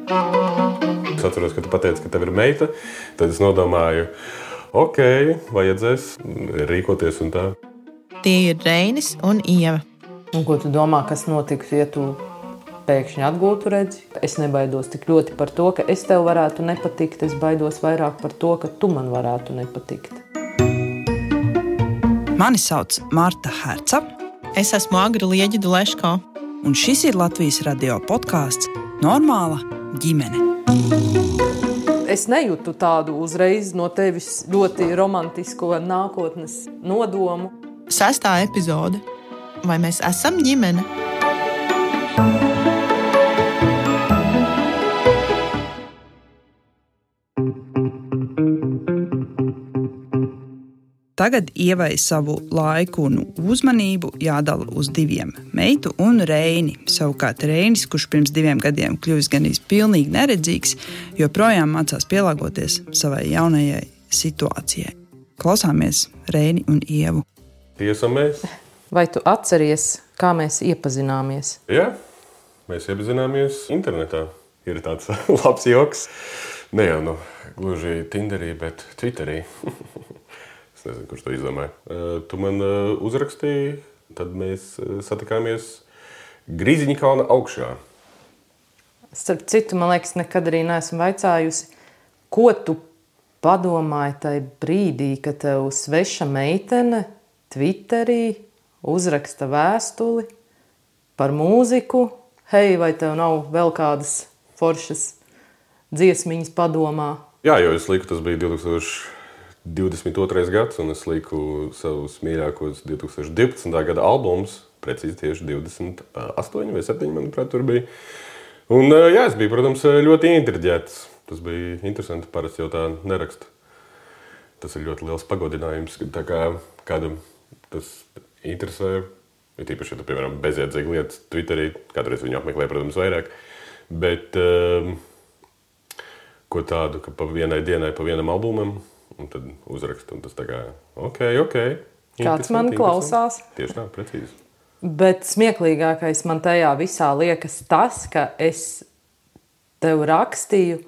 Es atceros, ka tu pateici, ka tev ir meita, tad es nodomāju, ok, vajadzēs rīkoties un tā. Tie ir Reinis un Ieva. Un ko tu domā, kas notiks, ja tu pēkšņi atgūtu redzi? Es nebaidos tik ļoti par to, ka es tev varētu nepatikt. Es baidos vairāk par to, ka tu man varētu nepatikt. Mani sauc Marta Herca. Es esmu Agra Lieģidu Leško. Un šis ir Latvijas radio podkāsts Normāla ģimene. Es nejūtu tādu uzreiz no tevis ļoti romantisko nākotnes nodomu. 6. epizode. Vai mēs esam ģimene? Tagad Ievai savu laiku un uzmanību jādala uz 2 – meitu un Reini. Savukārt Reinis, kurš pirms 2 gadiem kļuvis gandrīz pilnīgi neredzīgs, joprojām mācās pielāgoties savai jaunajai situācijai. Klausāmies Reini un Ievu. Tie esam mēs. Vai tu atceries, kā mēs iepazināmies? Jā, mēs iepazināmies internetā. Ir tāds labs joks. Ne jau gluži Tinderī, bet Twitterī. Es nezinu, kurš to izdomāja. Tu man uzrakstīji, tad mēs satikāmies Grīziņkalna augšā. Starp citu, man liekas, nekad arī neesmu vaicājusi, ko tu padomāji tajā brīdī, kad tev sveša meitene Twitterī uzraksta vēstuli par mūziku. Hei, vai tev nav vēl kādas foršas dziesmiņas padomā? Jā, jo es liku, tas bija 2022. gads, un es liku savus mīļākos 2012. gada albumus, precīzi tieši 28 vai 7, manuprāt, tur bija. Un jā, es biju, protams, ļoti intriģēts. Tas bija interesanti, parasti jau tā neraksta. Tas ir ļoti liels pagodinājums, tā kā kādam tas interesē. Ir tīpaši, ja tu, piemēram, bezjēdzīgi lietas Twitterī, kādreiz viņu apmeklē, protams, vairāk. Bet ko tādu, ka pa vienai dienai, pa vienam albumam, un tad uzrakst, un tas tā kā, ok. Kāds man klausās? Tieši tā, precīzi. Bet smieklīgākais man tajā visā liekas tas, ka es tev rakstīju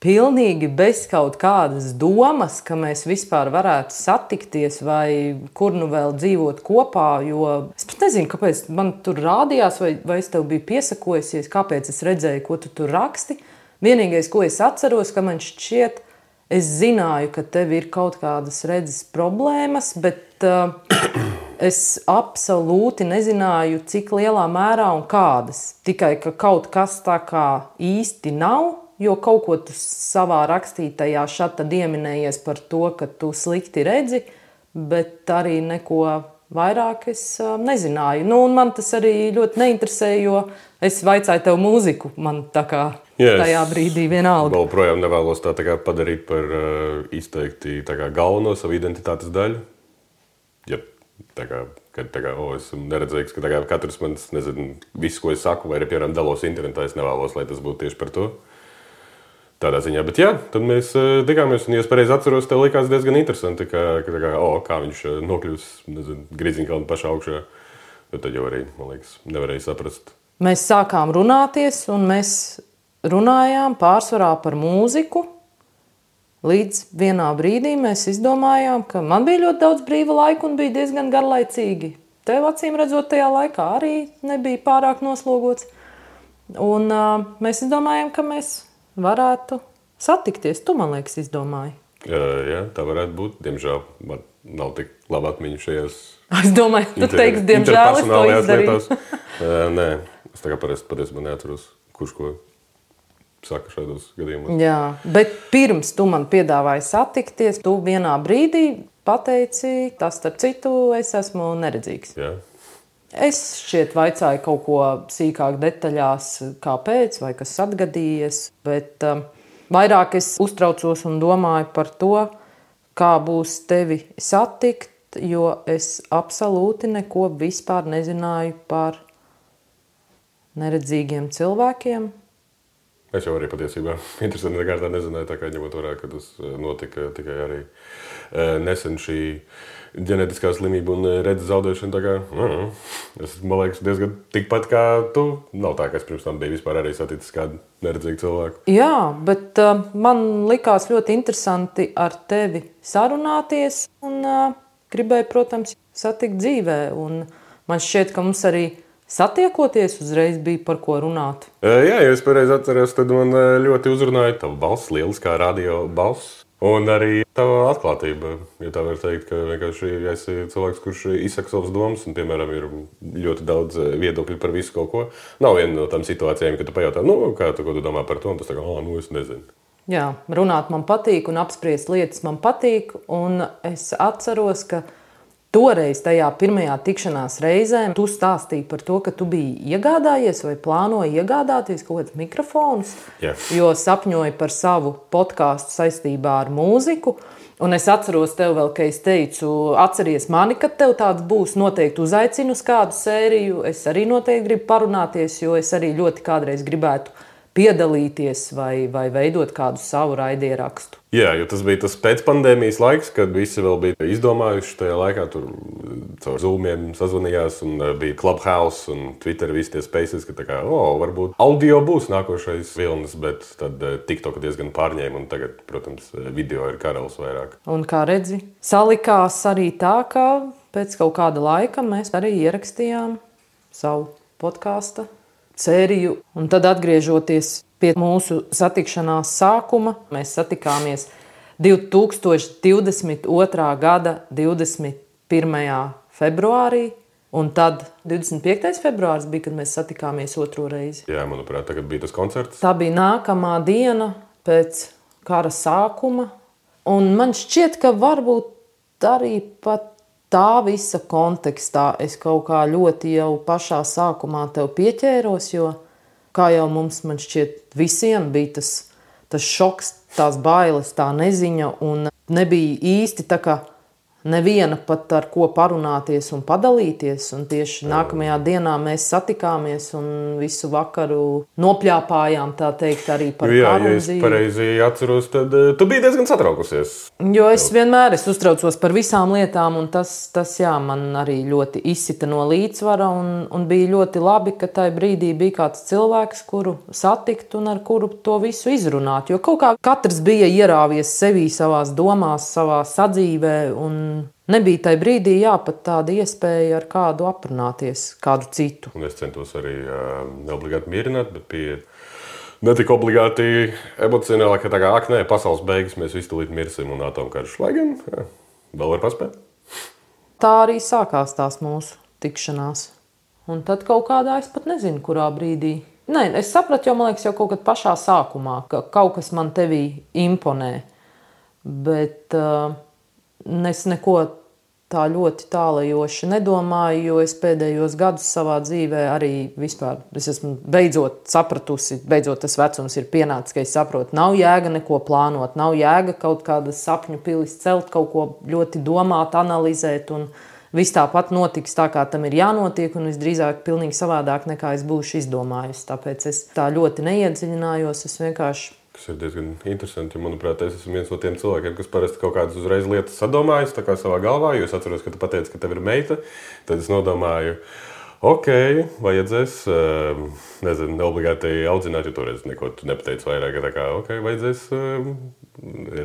pilnīgi bez kaut kādas domas, ka mēs vispār varētu satikties vai kur nu vēl dzīvot kopā, jo es pat nezinu, kāpēc man tur rādījās vai es tev biju piesakojusies, kāpēc es redzēju, ko tu tur raksti. Vienīgais, ko es atceros, ka man šķiet, es zināju, ka tev ir kaut kādas redzes problēmas, bet es absolūti nezināju, cik lielā mērā un kādas. Tikai, ka kaut kas tā kā īsti nav, jo kaut ko tu savā rakstītajā šatad ieminējies par to, ka tu slikti redzi, bet arī neko vairāk es nezināju. Un man tas arī ļoti neinteresēja, jo es vaicāju tev mūziku, man tā kā tajā brīdī vienalga. Vēl projām nevēlos tā kā padarīt par izteikti tā kā galveno savu identitātes daļu. Ja tā kā esmu neredzīgs, ka tā kā katrs mans, nezinu, visu, ko es saku, vai arī, piemēram, dalos internetā, es nevēlos, lai tas būtu tieši par to. Tādā ziņā, bet jā, tad mēs tikāmies, un, ja es pareizi atceros, tev likās diezgan interesanti, kā viņš nokļūs, nezinu, Grīziņkalna pašā augšā. Bet tad jau arī, man liekas, nevarēja saprast. Mēs sākām runāties, un mēs runājām pārsvarā par mūziku. Līdz vienā brīdī mēs izdomājām, ka man bija ļoti daudz brīva laika un bija diezgan garlaicīgi. Tev, acīm redzot, tajā laikā arī nebija pārāk noslogots. Un mēs izdomājām, ka mēs varētu satikties. Tu, man liekas, izdomāji. Jā, tā varētu būt. Diemžēl man nav tik laba atmiņa šajās Es domāju, tu teiksi, diemžēl es to izdarīju. Nē, es tā kā patiesībā neatceros, kurš ko saka šādos gadījumos. Jā, bet pirms tu man piedāvāji satikties, tu vienā brīdī pateici, tas starp citu, es esmu neredzīgs. Jā. Es šķiet vaicāju kaut ko sīkāk detaļās, kāpēc vai kas atgadījies, bet vairāk es uztraucos un domāju par to, kā būs tevi satikt, jo es absolūti neko vispār nezināju par neredzīgiem cilvēkiem. Es jau arī patiesībā interesanti kārtā nezināju, tā kā ņemot vērā, ka tas notika tikai arī nesen šī ģenētiskā slimība un redzes zaudēšana. Tā kā, es, man liekas, diezgan tikpat kā tu. Nav tā, ka es pirms tam biju vispār arī saticis kādu neredzīgu cilvēku. Jā, bet man likās ļoti interesanti ar tevi sarunāties un gribēju, protams, satikt dzīvē. Un man šķiet, ka mums arī satiekoties uzreiz bija par ko runāt. Jā, ja es pareizi atceros, tad man ļoti uzrunāja tava balss, lieliskā radio balss. Un arī tava atklātība, ja tā var teikt, ka vienkārši esi cilvēks, kurš izsaka savas domas un, piemēram, ir ļoti daudz viedokļu par visu kaut ko. Nav viena no tām situācijām, kad tu pajautā, ko tu domā par to, un tas tā kā, es nezinu. Jā, runāt man patīk un apspriest lietas man patīk, un es atceros, ka toreiz tajā pirmajā tikšanās reizē tu stāstīji par to, ka tu biji iegādājies vai plānoji iegādāties kaut kādus mikrofonus, jo sapņoji par savu podkāstu saistībā ar mūziku. Un es atceros tev vēl, ka es teicu, atceries mani, kad tev tāds būs, noteikti uzaicinu uz kādu sēriju. Es arī noteikti gribu parunāties, jo es arī ļoti kādreiz gribētu piedalīties vai veidot kādu savu raidierakstu. Jā, jo tas bija tas pēcpandēmijas laiks, kad visi vēl bija izdomājuši tajā laikā, tur caur Zoomiem sazvanījās un bija Clubhouse un Twitter visi tie spaces, ka tā kā, varbūt audio būs nākošais vilnis, bet tad TikTok diezgan pārņēma un tagad, protams, video ir karalis vairāk. Un kā redzi, salikās arī tā, ka pēc kaut kāda laika mēs arī ierakstījām savu podkāstu sēriju, un tad atgriežoties pie mūsu satikšanās sākuma, mēs satikāmies 2022. Gada 21. februārī, un tad 25. februāris bija, kad mēs satikāmies otro reizi. Jā, manuprāt, tagad bija tas koncerts. Tā bija nākamā diena pēc kara sākuma, un man šķiet, ka varbūt arī pat tā visa kontekstā es kaut kā ļoti jau pašā sākumā tev pieķēros, jo, kā jau mums, man šķiet, visiem bija tas šoks, tās bailes, tā neziņa, un nebija īsti tā kā neviena pat ar ko parunāties un padalīties, un tieši nākamajā dienā mēs satikāmies un visu vakaru nopļāpājām, tā teikt, arī par karu. Jā, ja es pareizi atceros, tad tu biji diezgan satraukusies. Jo es vienmēr uztraucos par visām lietām, un tas jā, man arī ļoti izsita no līdzsvara, un bija ļoti labi, ka tajā brīdī bija kāds cilvēks, kuru satikt un ar kuru to visu izrunāt, jo kaut kā katrs bija ierāvies sevī savās domās, savā sadzīvē, un nebija tajā brīdī pat tāda iespēja ar kādu aprunāties, kādu citu. Un es centos arī neobligāti mierināt, bet pie ne tik obligāti emocionāli, ka tā kā, pasaules beigas, mēs visi tūlīt mirsim un atomkarš. Lai gan, vēl var paspēt. Tā arī sākās tās mūsu tikšanās. Un tad kaut kādā, es pat nezinu, kurā brīdī. Nē, es sapratu, jo man liekas jau kaut kad pašā sākumā, ka kaut kas man tevī imponē. Bet es neko tā ļoti tālajoši nedomāju, jo es pēdējos gadus savā dzīvē arī vispār, es esmu beidzot sapratusi, beidzot tas vecums ir pienācis, ka es saprotu, nav jēga neko plānot, nav jēga kaut kādas sapņu pilis celt, kaut ko ļoti domāt, analizēt, un viss tāpat notiks tā, kā tam ir jānotiek, un visdrīzāk pilnīgi savādāk nekā es būšu izdomājusi. Tāpēc es tā ļoti neiedziļinājos, es vienkārši. Tas ir diezgan interesanti, jo, manuprāt, es esmu viens no tiem cilvēkiem, kas parasti kaut kādas uzreiz lietas sadomājas tā kā savā galvā, jo es atceros, ka tu pateici, ka tev ir meita, tad es nodomāju, vajadzēs, nezinu, neobligāti audzināt, jo toreiz neko tu nepateici vairāk, ka tā kā, vajadzēs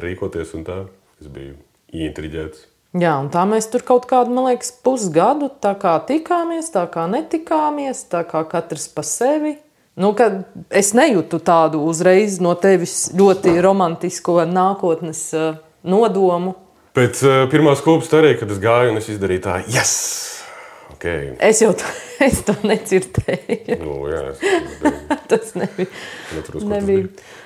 rīkoties un tā. Es biju ieintriģēts. Jā, un tā mēs tur kaut kādu, man liekas, pusgadu tā kā tikāmies, tā kā netikāmies, tā kā katrs pa sevi. Es nejūtu tādu uzreiz no tevis ļoti romantisko nākotnes nodomu. Pēc pirmās kūpas arī, kad es gāju un es izdarīju tā, yes! Okay. Es to nedzirdēju. Jā, tas nebija.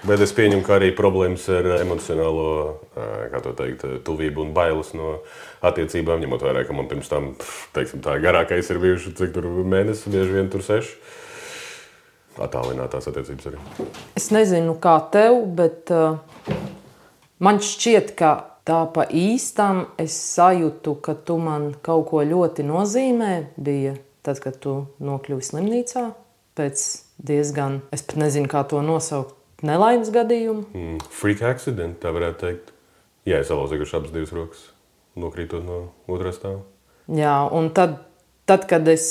Bet es pieņemu, ka arī problēmas ar emocionālo, kā to teikt, tuvību un bailes no attiecībām, ņemot vērā, ka man pirms tam, teiksim tā, garākais ir bijuši, cik tur mēnesis, bieži vien tur 6. Attālinātās attiecības arī. Es nezinu, kā tev, bet man šķiet, ka tā pa īstam es sajūtu, ka tu man kaut ko ļoti nozīmē. Bija tad, kad tu nokļuvi slimnīcā pēc diezgan, es pat nezinu, kā to nosaukt, nelaimes gadījumu. Freak accident, tā varētu teikt. Jā, es salauzījuši abas divas rokas, nokrītot no otrā stāva. Jā, un tad kad es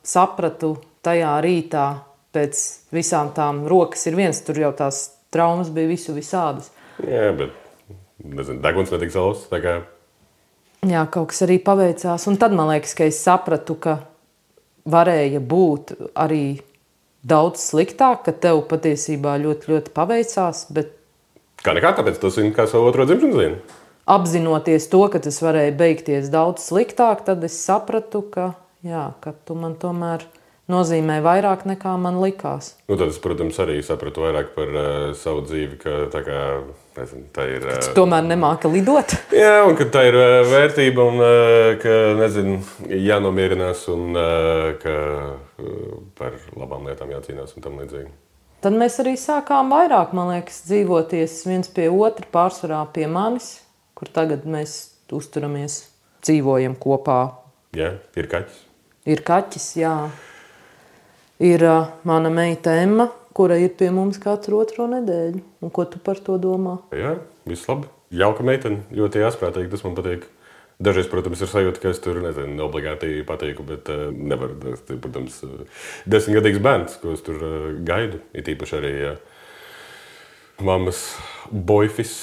sapratu tajā rītā, pēc visām tām rokas ir viens, tur jau tās traumas bija visādas. Jā, bet, nezinu, deguns netika salauzts, tā kā... Jā, kaut kas arī paveicās, un tad man liekas, ka es sapratu, ka varēja būt arī daudz sliktāk, ka tev patiesībā ļoti, ļoti paveicās, bet... Kā nekā, tāpēc tu zini, kā savu otro dzimšanas dienu? Apzinoties to, ka tas varēja beigties daudz sliktāk, tad es sapratu, ka tu man tomēr nozīmē vairāk nekā man likās. Nu, tad es, protams, arī sapratu vairāk par savu dzīvi, ka tā kā, nezinu, tā ir... Tu tomēr nemāki lidot? Jā, un ka tā ir vērtība un ka, nezinu, jānomierinās un ka par labām lietām jācīnās un tam līdzīgi. Tad mēs arī sākām vairāk, man liekas, dzīvoties viens pie otra, pārsvarā pie manis, kur tagad mēs uzturamies, dzīvojam kopā. Jā, ir kaķis. Ir kaķis, jā. Ir mana meita Emma, kura ir pie mums katru otro nedēļu. Un ko tu par to domā? Jā, viss labi. Jauka meitene, ļoti jāsprātīgi, tas man patīk. Dažreiz, protams, ir sajūta, ka es tur, nezinu, obligāti patīku, bet nevaru. Tas, protams, 10-gadīgs bērns, ko es tur gaidu. Ir īpaši arī mammas boyfis,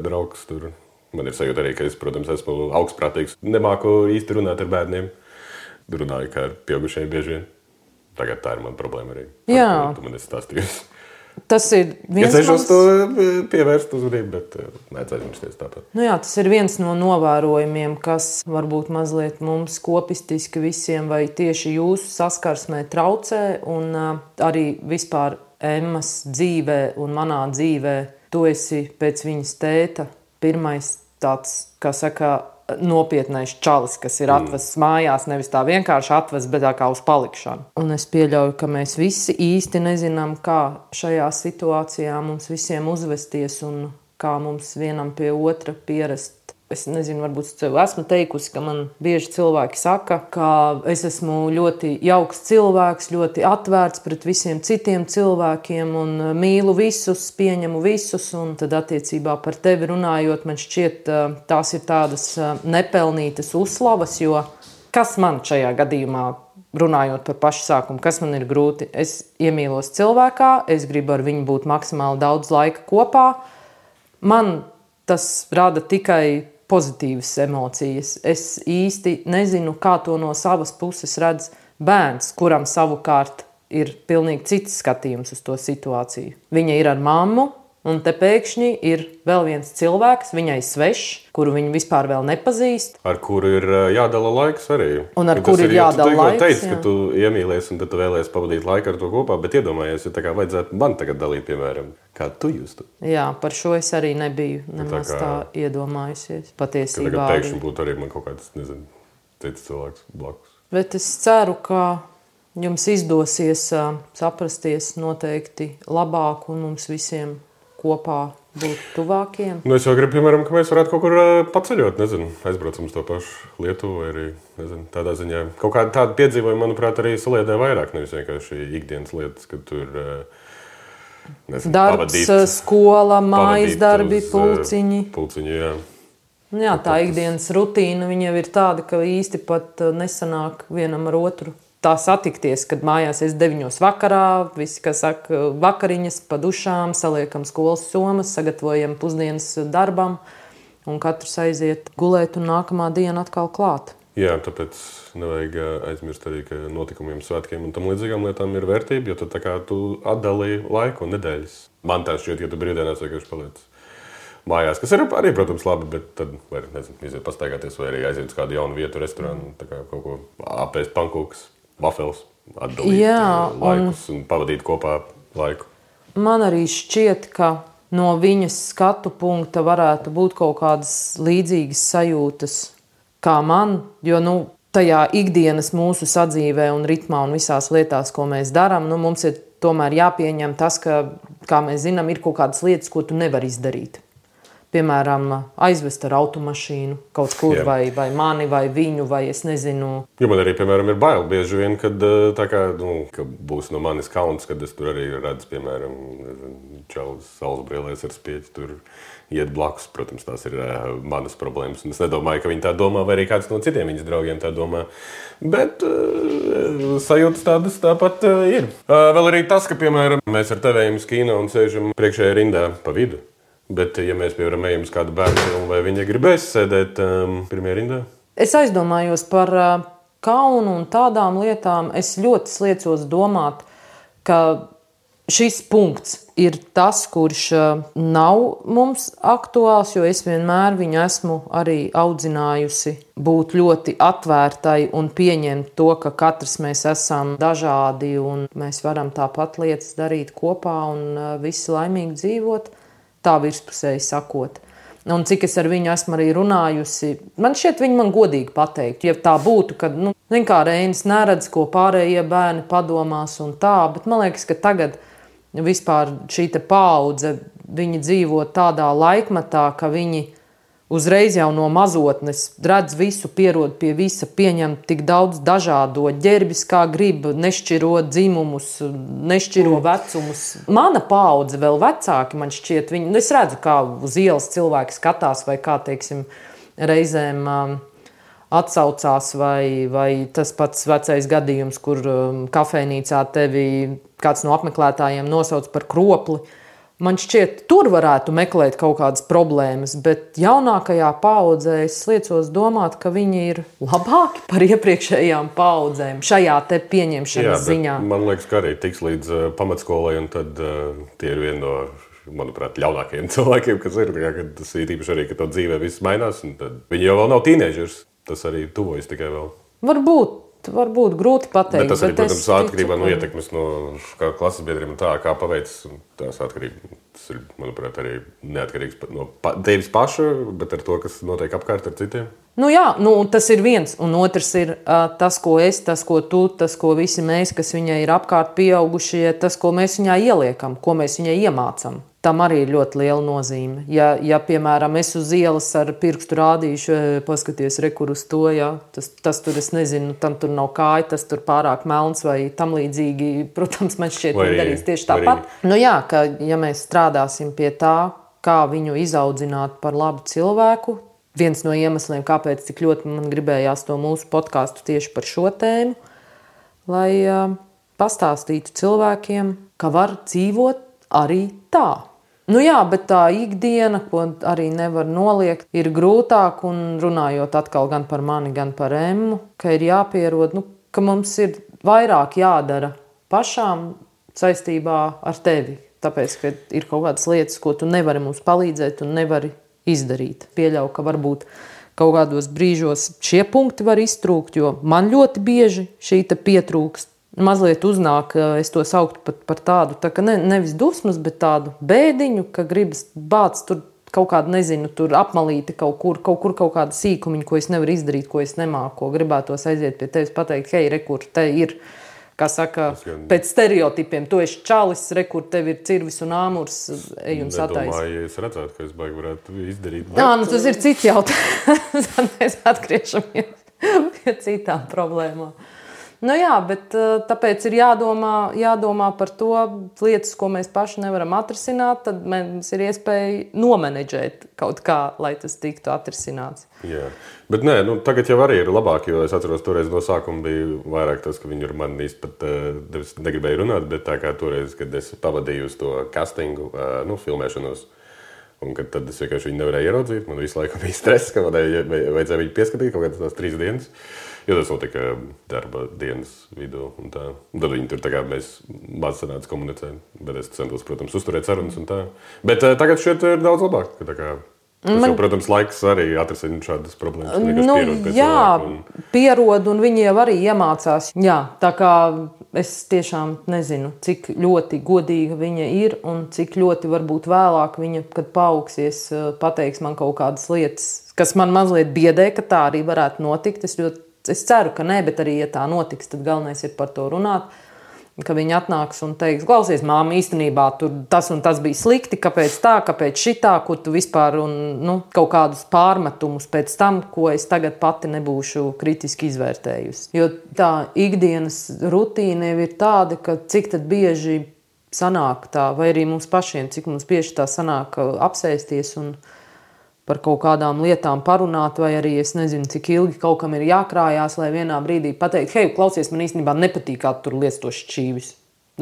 draugs tur. Man ir sajūta arī, ka es, protams, esmu augstprātīgs. Nemāku īsti runāt ar bērniem. Runāju kā ar pieaugušajiem bieži vien. Tagad tā ir mana problēma arī. Jā. Tu man esi stāstījusi. Tas ir viens es cenšos to pievērst uzmanību, bet nec aizmirsties tāpat. Nu jā, tas ir viens no novērojumiem, kas varbūt mazliet mums kopistiski visiem vai tieši jūsu saskarsmē traucē. Un arī vispār Emmas dzīvē un manā dzīvē tu esi pēc viņas tēta pirmais tāds, kā saka, nopietnais čalis, kas ir atvests mājās, nevis tā vienkārši atvests, bet tā kā uz palikšanu. Un es pieļauju, ka mēs visi īsti nezinām, kā šajā situācijā mums visiem uzvesties un kā mums vienam pie otra pierast. Es nezinu, varbūt es tev esmu teikusi, ka man bieži cilvēki saka, ka es esmu ļoti jauks cilvēks, ļoti atvērts pret visiem citiem cilvēkiem un mīlu visus, pieņemu visus. Un tad attiecībā par tevi runājot, man šķiet, tās ir tādas nepelnītas uzslavas, jo kas man šajā gadījumā, runājot par pašu sākumu, kas man ir grūti? Es iemīlos cilvēkā, es gribu ar viņu būt maksimāli daudz laika kopā. Man tas rada tikai pozitīvas emocijas. Es īsti nezinu, kā to no savas puses redz bērns, kuram savukārt ir pilnīgi cits skatījums uz to situāciju. Viņa ir ar mammu, un te pēkšņi ir vēl viens cilvēks, viņai svešs, kuru viņa vispār vēl nepazīst. Ar kuru ir jādala laiks arī. Un ar kuru ir jādala laiks, tu teici, ka tu iemīlies un tad tu vēlies pavadīt laiku ar to kopā, bet iedomājies, ja tā kā vajadzētu man tagad dalīt, piemēram, kā tu justu. Jā, par šo es arī nebiju nemaz tā iedomājusies. Patiesībā ka tagad pēkšņi būtu arī man kaut kāds, nezinu, cits cilvēks blakus. Bet es ceru, ka jums izdosies saprasties noteikti labāk un mums visiem kopā būt tuvākiem. Nu, es jau gribu, piemēram, ka mēs varētu kaut kur paceļot, nezinu, aizbraucam uz to pašu Lietuvu vai arī, nezinu, tādā ziņā. Kaut kāda tāda piedzīvojuma, manuprāt, arī saliedē vairāk, nevis vienkārši ikdienas lietas, kad tur, nezinu, darbs, skola, mājas darbi, pulciņi. Pulciņi, jā. Jā, tā ikdienas rutīna, viņa jau ir tāda, ka īsti pat nesanāk vienam ar otru. Tā satikties, kad mājās es 9 vakarā, visi, kas saka, vakariņas pa dušām, saliekam skolas somas, sagatavojam pusdienas darbam un katrs aiziet gulēt un nākamā diena atkal klāt. Jā, tāpēc nevajag aizmirst arī, ka notikumiem, svētkiem un tam līdzīgām lietām ir vērtība, jo tad tā kā tu atdalīji laiku un nedēļas. Man tā šķiet, ka tu brīvdienās vienkārši paliec mājās, kas ir arī, protams, labi, bet tad var, nezinu, iziet pastaigāties vai arī aiziet uz kādu jaunu vietu, restorānu, tā kā kaut ko apēst pankūkas. Wafels, atdalīt laikus un pavadīt kopā laiku. Man arī šķiet, ka no viņas skatu punkta varētu būt kaut kādas līdzīgas sajūtas kā man, jo tajā ikdienas mūsu sadzīvē un ritmā un visās lietās, ko mēs darām, mums ir tomēr jāpieņem tas, ka, kā mēs zinām, ir kaut kādas lietas, ko tu nevari izdarīt. Piemēram, aizvest ar automašīnu kaut kur, vai mani, vai viņu, vai es nezinu. Jo man arī, piemēram, ir bail bieži vien, kad tā kā, ka būs no manis kauns, kad es tur arī redzu, piemēram, čalis saules brillēs ar spieķi tur iet blakus. Protams, tās ir manas problēmas. Un es nedomāju, ka viņi tā domā, vai arī kāds no citiem viņas draugiem tā domā. Bet sajūtas tādas tāpat ir. Vēl arī tas, ka, piemēram, mēs ar tevējiem uz kino un sēžam priekšējā rindā pa vidu. Bet, ja mēs, piemēram, ejam uz kādu bērnu filmu, vai viņa gribēs sēdēt pirmajā rindā? Es aizdomājos par kaunu un tādām lietām. Es ļoti sliecos domāt, ka šis punkts ir tas, kurš nav mums aktuāls, jo es vienmēr viņu esmu arī audzinājusi būt ļoti atvērtai un pieņemt to, ka katrs mēs esam dažādi un mēs varam tāpat lietas darīt kopā un visi laimīgi dzīvot. Tā virspusēji sakot. Un cik es ar viņu esmu arī runājusi, man šķiet, viņi man godīgi pateikt. Ja tā būtu, kad, kā Reinis neredz, ko pārējie bērni padomās un tā, bet man liekas, ka tagad vispār šī te paudze, viņi dzīvo tādā laikmatā, ka viņi uzreiz jau no mazotnes redz visu, pierod pie visa, pieņem tik daudz dažādo ģērbis, kā grib, nešķiro dzimumus, nešķiro vecumus. Mana paudze vēl vecāki, man šķiet, es redzu, kā uz ielas cilvēki skatās vai kā, teiksim, reizēm atsaucās vai tas pats vecais gadījums, kur kafejnīcā tevi kāds no apmeklētājiem nosauc par kropli. Man šķiet, tur varētu meklēt kaut kādas problēmas, bet jaunākajā paaudzē es liecos domāt, ka viņi ir labāki par iepriekšējām paaudzēm šajā te pieņemšanas ziņā. Man liekas, ka arī tiks līdz pamatskolai, un tad tie ir vieni no, manuprāt, ļaunākajiem cilvēkiem, kas ir. Kad tas ir īpaši arī, ka to dzīvē viss mainās, un tad viņi jau vēl nav tīnēžers. Tas arī tuvojas tikai vēl. Varbūt grūti pateikt. Bet tas arī, protams, atkarībā no ietekmes no klases biedriem un tā, kā paveic. Tas ir, manuprāt, arī neatkarīgs no tevis paša, bet ar to, kas notiek apkārt ar citiem. Tas ir viens. Un otrs ir tas, ko es, tas, ko tu, tas, ko visi mēs, kas viņai ir apkārt pieaugušie, tas, ko mēs viņai ieliekam, ko mēs viņai iemācam. Tam arī ir ļoti liela nozīme. Ja piemēram, es uz ielas ar pirkstu rādīšu, paskaties, rekur uz to, tas tur, es nezinu, tam tur nav kāja, tas tur pārāk melns vai tam līdzīgi, protams, man šķiet, viņi darīs tieši tāpat. Ka ja mēs strādāsim pie tā, kā viņu izaudzināt par labu cilvēku, viens no iemesliem, kāpēc tik ļoti man gribējās to mūsu podcastu tieši par šo tēmu, lai pastāstītu cilvēkiem, ka var dzīvot arī tā. Bet tā ikdiena, ko arī nevar noliegt, ir grūtāk, un runājot atkal gan par mani, gan par Emmu, ka ir jāpierod, ka mums ir vairāk jādara pašām saistībā ar tevi. Tāpēc, ka ir kaut kādas lietas, ko tu nevari mums palīdzēt un nevari izdarīt. Pieļauju, ka varbūt kaut kādos brīžos šie punkti var iztrūkt, jo man ļoti bieži šī te pietrūkst. Mazliet uznāk, es to sauktu pat par tādu, tā ka nevis dusmas, bet tādu bēdiņu, ka gribas bāc tur kaut kādu, nezinu, tur apmalīti kaut kur kaut kādu sīkumiņu, ko es nevaru izdarīt, ko es nemāku, ko gribētos aiziet pie tevis pateikt, hei, rekur, te ir, kā saka, pēc stereotipiem, tu esi čalis, rekur, tev ir cirvis un āmurs, ej un satais. Nedomāju, ja es redzētu, ka es baigi varētu izdarīt. Tas ir cits jautājums. Tad mēs atgriežamies pie citām problēmām. Bet tāpēc ir jādomā par to lietas, ko mēs paši nevaram atrisināt, tad mums ir iespēja nomenedžēt kaut kā, lai tas tiktu atrisināts. Jā, bet tagad jau arī ir labāk, jo es atceros, toreiz no sākuma bija vairāk tas, ka viņi ar mani īsti pat negribēja runāt, bet tā kā toreiz, kad es pavadīju uz to castingu, filmēšanos, un kad tad es vienkārši viņu nevarēju ieraudzīt, man visu laiku bija stress, ka vajadzēja viņu pieskatīt kaut kādas tās 3 dienas. Jo tas notika darba dienas vidū un tā. Un tad viņi tur tā kā mēs maz sanāca komunicēt, bet es centos, protams, uzturēt sarunas un tā. Bet tagad šeit ir daudz labāk, ka tā kā jau, protams, laiks arī atrisina šādas problēmas. Pierod un viņi jau arī iemācās. Tā kā es tiešām nezinu, cik ļoti godīga viņa ir un cik ļoti varbūt vēlāk viņa, kad paaugsies, pateiks man kaut kādas lietas, kas man mazliet biedē, ka tā arī varētu notikt. Es ceru, ka nē, bet arī, ja tā notiks, tad galvenais ir par to runāt, ka viņi atnāks un teiks, klausies, māma, īstenībā tur tas un tas bija slikti, kāpēc tā, kāpēc šitā, kur tu vispār un kaut kādus pārmetumus pēc tam, ko es tagad pati nebūšu kritiski izvērtējusi. Jo tā ikdienas rutīna ir tāda, ka cik tad bieži sanāk tā, vai arī mums pašiem, cik mums bieži tā sanāk apsēsties un par kaut kādām lietām parunāt, vai arī es nezinu, cik ilgi kaut kam ir jākrājās, lai vienā brīdī pateikt, hei, klausies, man īstenībā nepatīk, kā tu tur liec tos šķīvis.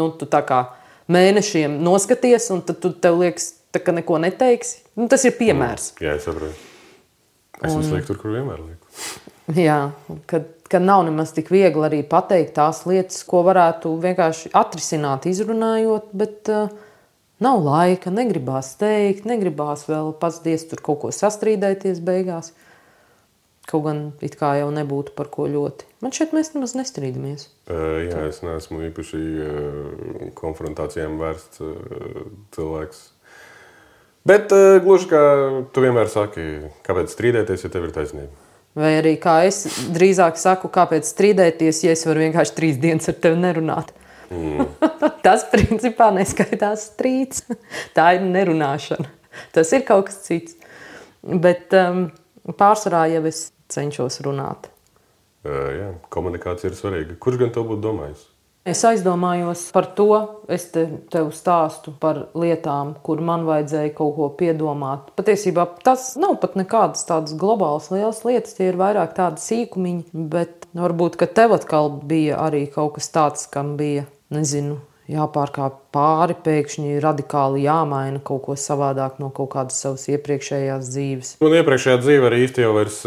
Nu, tu tā kā mēnešiem noskaties, un tad tev liekas, tā, ka neko neteiksi. Nu, tas ir piemērs. Jā, es saprotu. Es lieku tur, kur vienmēr lieku. Jā, kad nav nemaz tik viegli arī pateikt tās lietas, ko varētu vienkārši atrisināt, izrunājot, bet nav laika, negribās teikt, negribās vēl pats diez tur kaut ko sastrīdēties beigās. Kaut gan it kā jau nebūtu par ko ļoti. Man šeit mēs nemaz nestrīdamies. Jā, es neesmu īpaši konfrontācijām vērsts cilvēks. Bet gluži kā tu vienmēr saki, kāpēc strīdēties, ja tev ir taisnība? Vai arī kā es drīzāk saku, kāpēc strīdēties, ja es varu vienkārši 3 dienas ar tevi nerunāt. Tas principā neskaitās strīds. Tā ir nerunāšana. Tas ir kaut kas cits. Bet pārsvarā jau es cenšos runāt. Jā, komunikācija ir svarīga. Kurš gan to būtu domājis? Es aizdomājos par to, es tev stāstu par lietām, kur man vajadzēja kaut ko piedomāt. Patiesībā tas nav pat nekādas tādas globālas lielas lietas, tie ir vairāk tādi sīkumiņi, bet varbūt, ka tev atkal bija arī kaut kas tāds, kam bija, nezinu, jāpārkāp pāri, pēkšņi radikāli jāmaina kaut ko savādāk no kaut kādas savas iepriekšējās dzīves. Man iepriekšējā dzīve arī īsti jau vairs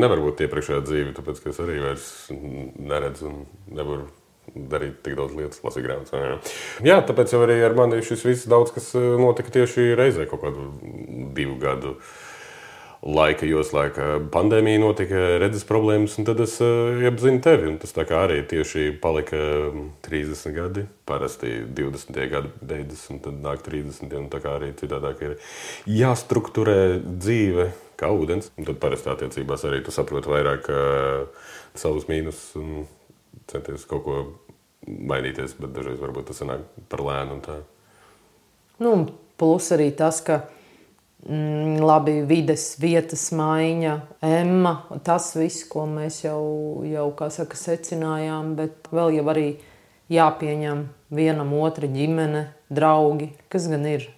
nevar būt iepriekšējā dzīve, tāpēc, ka es arī vairs neredzu un nevaru darīt tik daudz lietas, lasīt grāmatas. Jā, tāpēc jau arī ar mani šis viss daudz, kas notika tieši reizē kaut kādu 2 gadu laika joslā, ka pandēmija notika, redzes problēmas, un tad es iepazinu tevi. Un tas tā kā arī tieši palika 30 gadi, parasti 20. gadi beidzas, un tad nāk 30. Un tā kā arī citādāk ir jāstrukturē dzīve kā ūdens. Un tad parasti attiecībās arī tu saproti vairāk savus mīnus un centies kaut ko mainīties, bet dažreiz varbūt tas sanāk par lēnu un tā. Nu, plus arī tas, ka labi vides, vietas maiņa, Emma, tas viss, ko mēs jau kā saka, secinājām, bet vēl jau arī jāpieņem vienam otra ģimene, draugi, kas gan ir.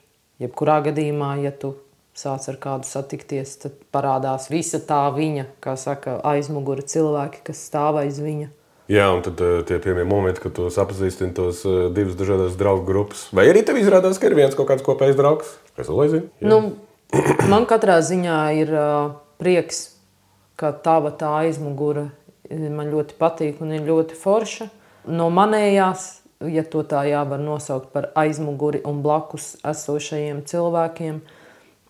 Jebkurā gadījumā, ja tu sāc ar kādu satikties, tad parādās visa tā viņa, kā saka, aizmugura cilvēki, kas stāv aiz viņa. Jā, un tad tie pirmie momenti, kad tu sapazīstini tos 2 dažādas draugu grupas. Vai arī tev izrādās, ka ir viens kaut kāds kopējs draugs? Kas vēl aizina? Nu, man katrā ziņā ir prieks, ka tava tā aizmugura man ļoti patīk un ir ļoti forša. No manējās, ja to tā jāvar nosaukt par aizmuguri un blakus esošajiem cilvēkiem,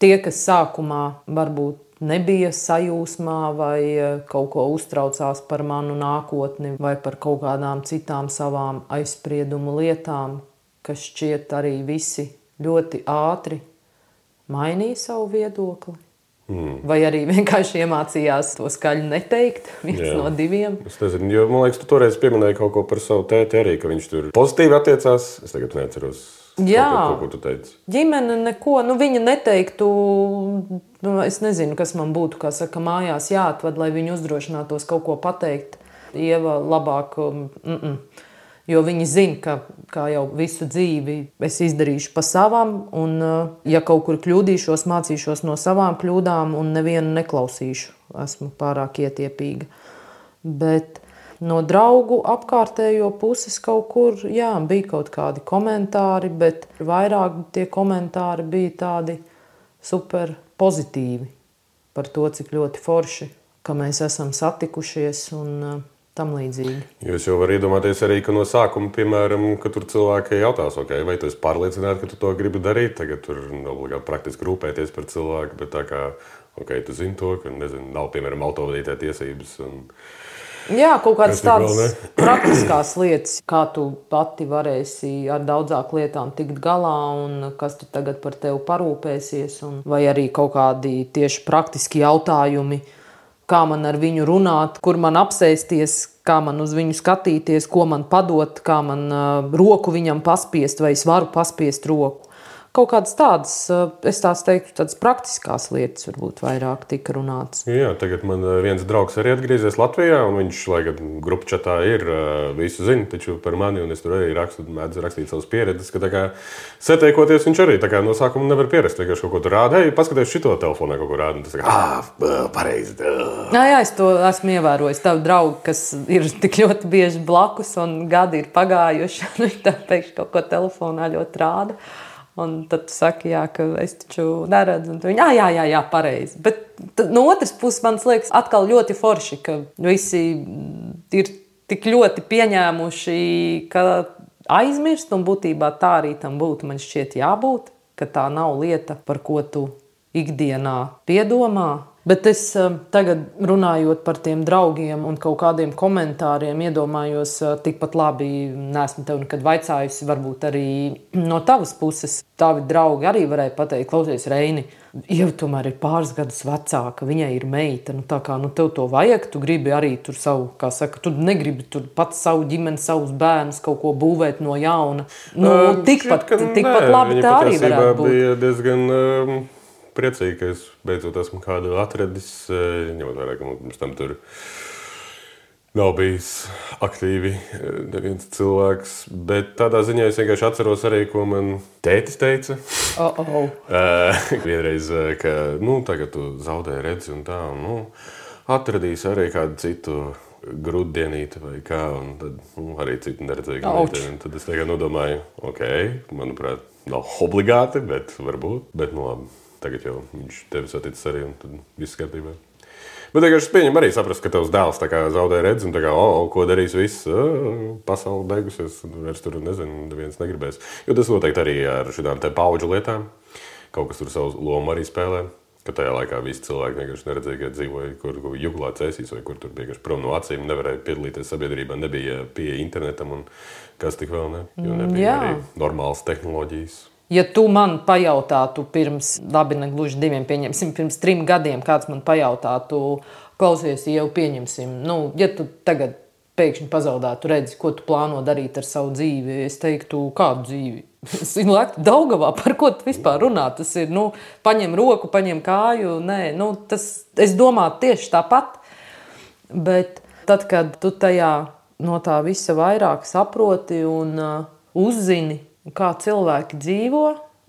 tie, kas sākumā varbūt nebija sajūsmā vai kaut ko uztraucās par manu nākotni vai par kaut kādām citām savām aizspriedumu lietām, kas šķiet arī visi ļoti ātri mainīja savu viedokli. Vai arī vienkārši iemācījās to skaļi neteikt, viens no 2. Es nezinu, jo man liekas, tu toreiz pieminēji kaut ko par savu tēti arī, ka viņš tur pozitīvi attiecās. Es tagad neatceros. Jā, ko tu teici. Ģimene neko, viņa neteiktu, es nezinu, kas man būtu, kā saka, mājās jāatved, lai viņi uzdrošinātos kaut ko pateikt. Ieva labāk, jo viņi zina, ka jau visu dzīvi es izdarīšu pa savam, un ja kaut kur kļūdīšos, mācīšos no savām kļūdām un nevienu neklausīšu. Esmu pārāk ietiepīga. Bet no draugu apkārtējo puses kaut kur, jā, bija kaut kādi komentāri, bet vairāk tie komentāri bija tādi super pozitīvi par to, cik ļoti forši, ka mēs esam satikušies un tam līdzīgi. Jūs jau var iedomāties arī, ka no sākuma, piemēram, ka tur cilvēki jautās, vai tu esi pārliecināti, ka tu to gribi darīt, tagad tur obligāti praktiski rūpēties par cilvēku, bet tā kā, tu zini to, ka, nezinu, nav, piemēram, autovadītāja tiesības un jā, kaut kādas tādas praktiskās lietas, kā tu pati varēsi ar daudzāk lietām tikt galā un kas tu tagad par tevi parūpēsies, vai arī kaut kādi tieši praktiski jautājumi, kā man ar viņu runāt, kur man apsēsties, kā man uz viņu skatīties, ko man padot, kā man roku viņam paspiest, vai es varu paspiest roku, kaut kādas tādas, es tās teiktu, tādas praktiskās lietas varbūt vairāk tika runāts. Jā, tagad man viens draugs arī atgriezies Latvijā, un viņš, lai gan grupu čatā ir, visu zina, taču par mani, un es tur arī mēdzu rakstīt savas pieredzes, ka tā kā satiekoties viņš arī tā kā no sākuma nevar pierast, vienkārši kaut ko tur rāda, hei, paskaties šito telefonā kaut ko rāda, un tas kā, pareizi. Jā, es to esmu ievērojis. Tavu draugu, kas ir tik ļoti bieži blakus, un gadi ir pagājuši, un viņi tā pēkšņi kaut ko telefonā ļoti rāda. Un tad tu saki, jā, ka es taču neredzu. Un viņi, jā, pareizi. Bet no otras puses man liekas atkal ļoti forši, ka visi ir tik ļoti pieņēmuši, ka aizmirst, un būtībā tā arī tam būtu, man šķiet, jābūt, ka tā nav lieta, par ko tu ikdienā piedomā. Bet es tagad, runājot par tiem draugiem un kaut kādiem komentāriem, iedomājos, tikpat labi neesmu tev nekad vaicājusi, varbūt arī no tavas puses tavi draugi arī varēja pateikt, klausies, Reini, jau tomēr ir pāris gadus vecāka, viņai ir meita, tā kā tev to vajag, tu gribi arī tur savu, kā saka, tu negribi tur pats savu ģimeni, savus bērnus kaut ko būvēt no jauna. Tikpat labi tā arī varētu būt. Bija diezgan priecīgi, ka es beidzot esmu kādu atradis, ņemot vērā, ka mums tam tur nav bijis aktīvi neviens cilvēks, bet tādā ziņā es vienkārši atceros arī, ko man tētis teica. Vienreiz, ka, tagad tu zaudēji redzi un tā, un, atradīsi arī kādu citu grūtdienīti vai kā, un tad arī citu neredzīgu meiteni. Tad es tagad nodomāju, manuprāt, nav obligāti, bet varbūt, bet labi. Tagad jau viņš tevi saticis arī, un tad viss kārtībā. Bet vienkārši es pieņemu arī saprast, ka tavs dēls tā kā zaudē redzi, un tā kā, ko darīs viss, pasaule beigusies, vairs tur, nezinu, neviens negribēs. Jo tas noteikti arī ar šitām te paudžu lietām, kaut kas tur savu lomu arī spēlē, ka tajā laikā visi cilvēki vienkārši neredzēja, dzīvoja, kur juglā cēsīs, vai kur tur vienkārši prom no acīm, nevarēja piedalīties sabiedrībā, nebija pie internetam, un kas tik vēl ne, jo nebija arī normālas tehnoloģijas. Ja tu man pajautātu pirms, labi, ne gluži 2, pieņemsim, pirms 3 gadiem, kāds man pajautātu, klausies, jau pieņemsim, ja tu tagad pēkšņi pazaudātu redzi, ko tu plāno darīt ar savu dzīvi, es teiktu, kādu dzīvi? Es lēktu Daugavā, par ko tu vispār runā? Tas ir, paņem roku, paņem kāju, es domāju tieši tāpat, bet tad, kad tu tajā no tā visa vairāk saproti un uzzini, kā cilvēki dzīvo,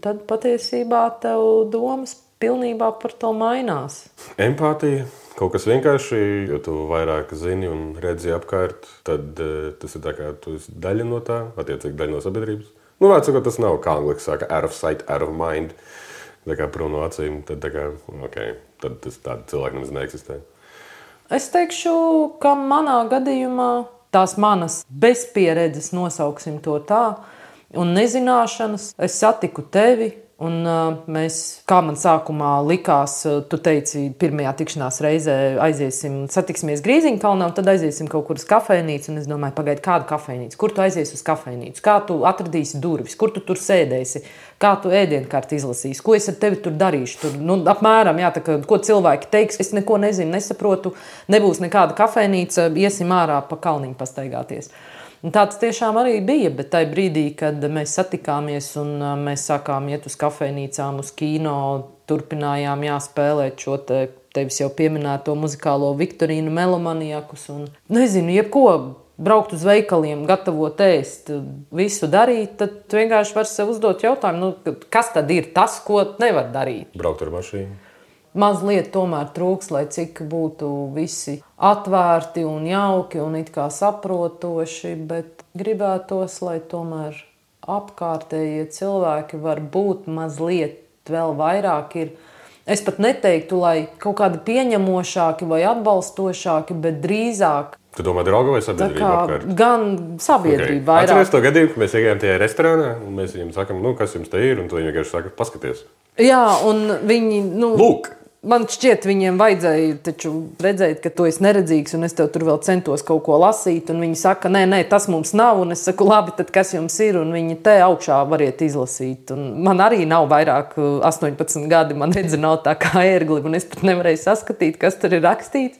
tad patiesībā tev domas pilnībā par to mainās. Empātija, kaut kas vienkārši, jo tu vairāk zini un redzi apkārt, tad tas ir tā kā tu esi daļa no tā, attiecīgi daļa no sabiedrības. Vārdsakot, tas nav, kā angliski saka, out of sight, out of mind, tā kā prom no acīm, tad tā kā, tad tas tāda cilvēka nemaz neeksistē. Es teikšu, ka manā gadījumā tās manas bezpieredzes, nosauksim to tā, un nezināšanas, es satiku tevi, un mēs, kā man sākumā likās, tu teici, pirmajā tikšanās reizē satiksimies Grīziņkalnā, un tad aiziesim kaut kur uz kafejnīcu, un es domāju, pagaidi, kādu kafejnīcu? Kur tu aizies uz kafejnīcu? Kā tu atradīsi durvis? Kur tu tur sēdēsi? Kā tu ēdienkarti izlasīsi? Ko es ar tevi tur darīšu? Tur, apmēram, tā kā, ko cilvēki teiks, es neko nezinu, nesaprotu, nebūs nekāda kafejnīca, iesim ārā pa kalniņu pastaigāties. Un tāds tiešām arī bija, bet tajā brīdī, kad mēs satikāmies un mēs sākām iet uz kafejnīcām, uz kino, turpinājām spēlēt šo tevis jau pieminēto muzikālo Viktorīnu Melomaniakus un, nezinu, jebko, braukt uz veikaliem, gatavot ēst, visu darīt, tad vienkārši var sev uzdot jautājumu, kas tad ir tas, ko nevar darīt? Braukt ar mašīnu. Mazliet tomēr trūks, lai cik būtu visi atvērti un jauki un it kā saprotoši, bet gribētos, lai tomēr apkārtējie cilvēki var būt mazliet vēl vairāk ir. Es pat neteiktu, lai kaut kādi pieņemošāki vai atbalstošāki, bet drīzāk. Tu domā drauga vai sabiedrība apkārt? Gan sabiedrība vairāk. Atceries to gadījumu, ka mēs iegājām tajā restorānā un mēs viņiem sakam, kas jums te ir, un tu viņi vienkārši saka, paskaties. Jā, un viņi, Lūk! Man šķiet, viņiem vajadzēja taču redzēt, ka tu esi neredzīgs un es tev tur vēl centos kaut ko lasīt, un viņi saka, nē, tas mums nav, un es saku, labi, tad kas jums ir, un viņi te augšā variet izlasīt. Un man arī nav vairāk 18 gadi, man redzi nav tā kā ērgli, un es pat nevarēju saskatīt, kas tur ir rakstīts.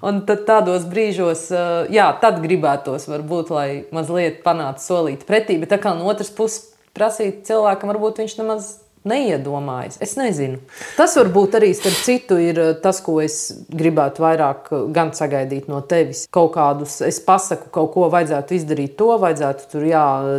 Un tad tādos brīžos, tad gribētos varbūt, lai mazliet panāca solīt pretī, bet tā kā no otras puses, prasīt cilvēkam, varbūt viņš nemaz neiedomājas. Es nezinu. Tas varbūt arī, starp citu, ir tas, ko es gribētu vairāk gan sagaidīt no tevis. Kaut kādus, es pasaku, kaut ko vajadzētu izdarīt to, vajadzētu tur,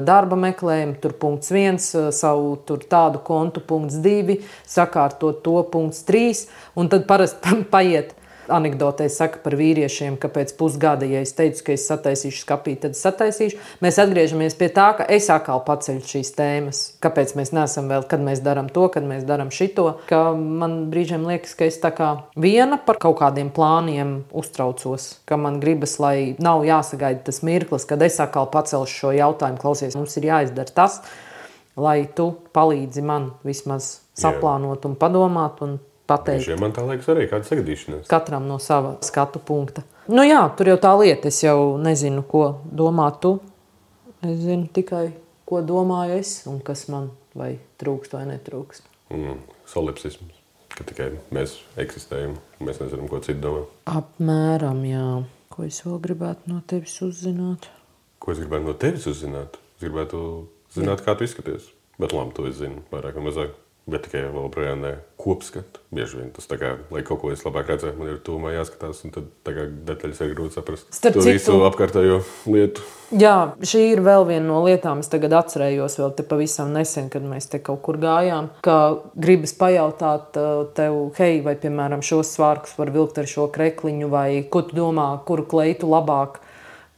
darba meklējumu, tur punkts 1, savu tur tādu kontu punkts 2, sakārtot to punkts 3, un tad parasti paiet. Anekdotē saka par vīriešiem, ka pēc pusgada, ja es teicu, ka es sataisīšu skapī, tad sataisīšu. Mēs atgriežamies pie tā, ka es atkal paceļu šīs tēmas. Kāpēc mēs neesam vēl, kad mēs darām to, kad mēs darām šito. Ka man brīžiem liekas, ka es tā kā viena par kaut kādiem plāniem uztraucos. Ka man gribas, lai nav jāsagaida tas mirklis, kad es atkal pacelšu šo jautājumu. Klausies, mums ir jāizdara tas, lai tu palīdzi man vismaz saplānot un padomāt un pateikt. Man tā liekas arī kāda sagadīšanās. Katram no sava skatu punkta. Nu jā, tur jau tā lieta. Es jau nezinu, ko domā tu. Es zinu tikai, ko domāju es un kas man vai trūkst vai netrūkst. Solipsisms. Ka tikai mēs eksistējam un mēs nezinām, ko citi domā. Apmēram, jā. Ko es vēl gribētu no tevis uzzināt? Ko es gribētu no tevis uzzināt? Es gribētu zināt, kā tu izskaties. Bet labi, to es zinu vairāk vai mazāk. Bet tikai vēl projām kopskatu. Bieži vien tas tā kā, lai kaut ko es labāk redzētu, man ir tūmā jāskatās, un tad tā kā detaļas ir grūti saprast. To visu apkārtējo lietu. Jā, šī ir vēl viena no lietām. Es tagad atcerējos vēl te pavisam nesen, kad mēs te kaut kur gājām, ka gribas pajautāt tev, hei, vai, piemēram, šos svārkus var vilkt ar šo krekliņu, vai ko tu domā, kuru kleitu labāk,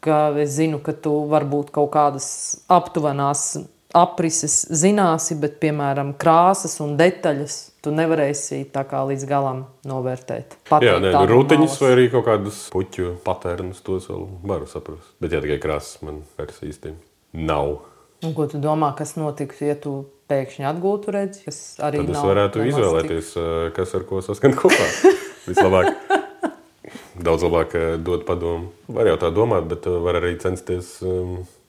ka es zinu, ka tu varbūt kaut kādas aptuvenās aprises zināsi, bet, piemēram, krāsas un detaļas tu nevarēsi tā kā līdz galam novērtēt. Rutiņas vai arī kaut kādas puķu patērnus, tos vēl varu saprast. Bet tikai krāsas man vairs īsti nav. Un ko tu domā, kas notiks, ja tu pēkšņi atgūtu redzi? Tad es varētu izvēlēties, kas ar ko saskan kopā. Vislabāk. Daudz labāk dot padomu. Var jau tā domāt, bet var arī censties